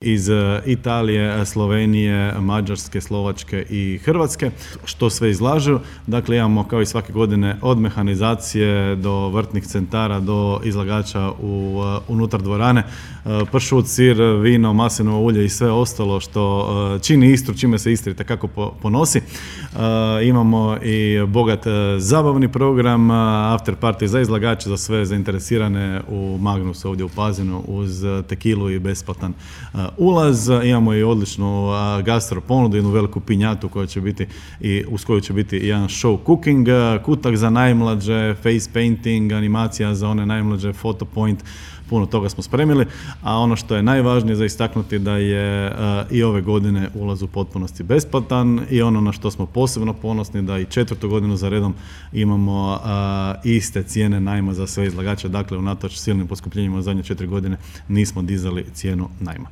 iz Italije, Slovenije, Mađarske, Slovačke i Hrvatske, što sve izlažu. Dakle, imamo kao i svake godine od mehanizacije do vrtnih centara, do izlagača unutar dvorane, pršut, sir, vino, maslinovo ulje i sve ostalo što čini Istru, čime se Istra itekako ponosi. Imamo i bogat zabavni program, after party za izlagače, za sve zainteresirane u Magnusu ovdje u Pazinu uz tekilu i besplatan ulaz. Imamo i odličnu gastro ponudu, jednu veliku pinjatu koja će biti i uz koju će biti jedan show cooking, kutak za najmlađe, face painting, animacija za one najmlađe, photo point, puno toga smo spremili, a ono što je najvažnije za istaknuti da je i ove godine ulaz u potpunosti besplatan i ono na što smo posebno ponosni da i 4. godinu za redom imamo iste cijene najma za sve izlagače, dakle unatoč silnim poskupljenjima u zadnje 4 godine nismo dizali cijenu najma.